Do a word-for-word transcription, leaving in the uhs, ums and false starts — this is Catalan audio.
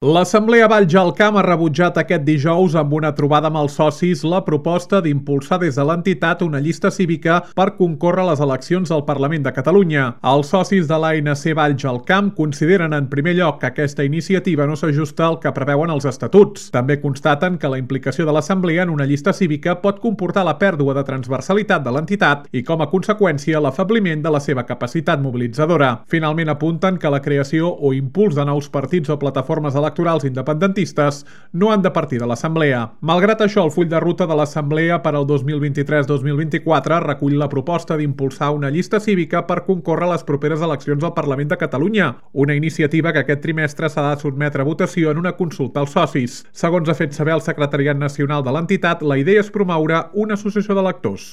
L'Assemblea Valls-Jalcam ha rebutjat aquest dijous amb una trobada amb els socis la proposta d'impulsar des de l'entitat una llista cívica per concórrer a les eleccions al Parlament de Catalunya. Els socis de l'A N C Valls-Jalcam consideren en primer lloc que aquesta iniciativa no s'ajusta al que preveuen els estatuts. També constaten que la implicació de l'Assemblea en una llista cívica pot comportar la pèrdua de transversalitat de l'entitat i, com a conseqüència, l'afabliment de la seva capacitat mobilitzadora. Finalment apunten que la creació o impuls de nous partits o plataformes electorals electorals independentistes no han de partir de l'Assemblea. Malgrat això, el full de ruta de l'Assemblea per al dos mil vint-i-tres dos mil vint-i-quatre recull la proposta d'impulsar una llista cívica per concórrer a les properes eleccions al Parlament de Catalunya, una iniciativa que aquest trimestre s'ha de sotmetre a votació en una consulta als socis. Segons ha fet saber el secretariat nacional de l'entitat, la idea és promoure una associació d'electors.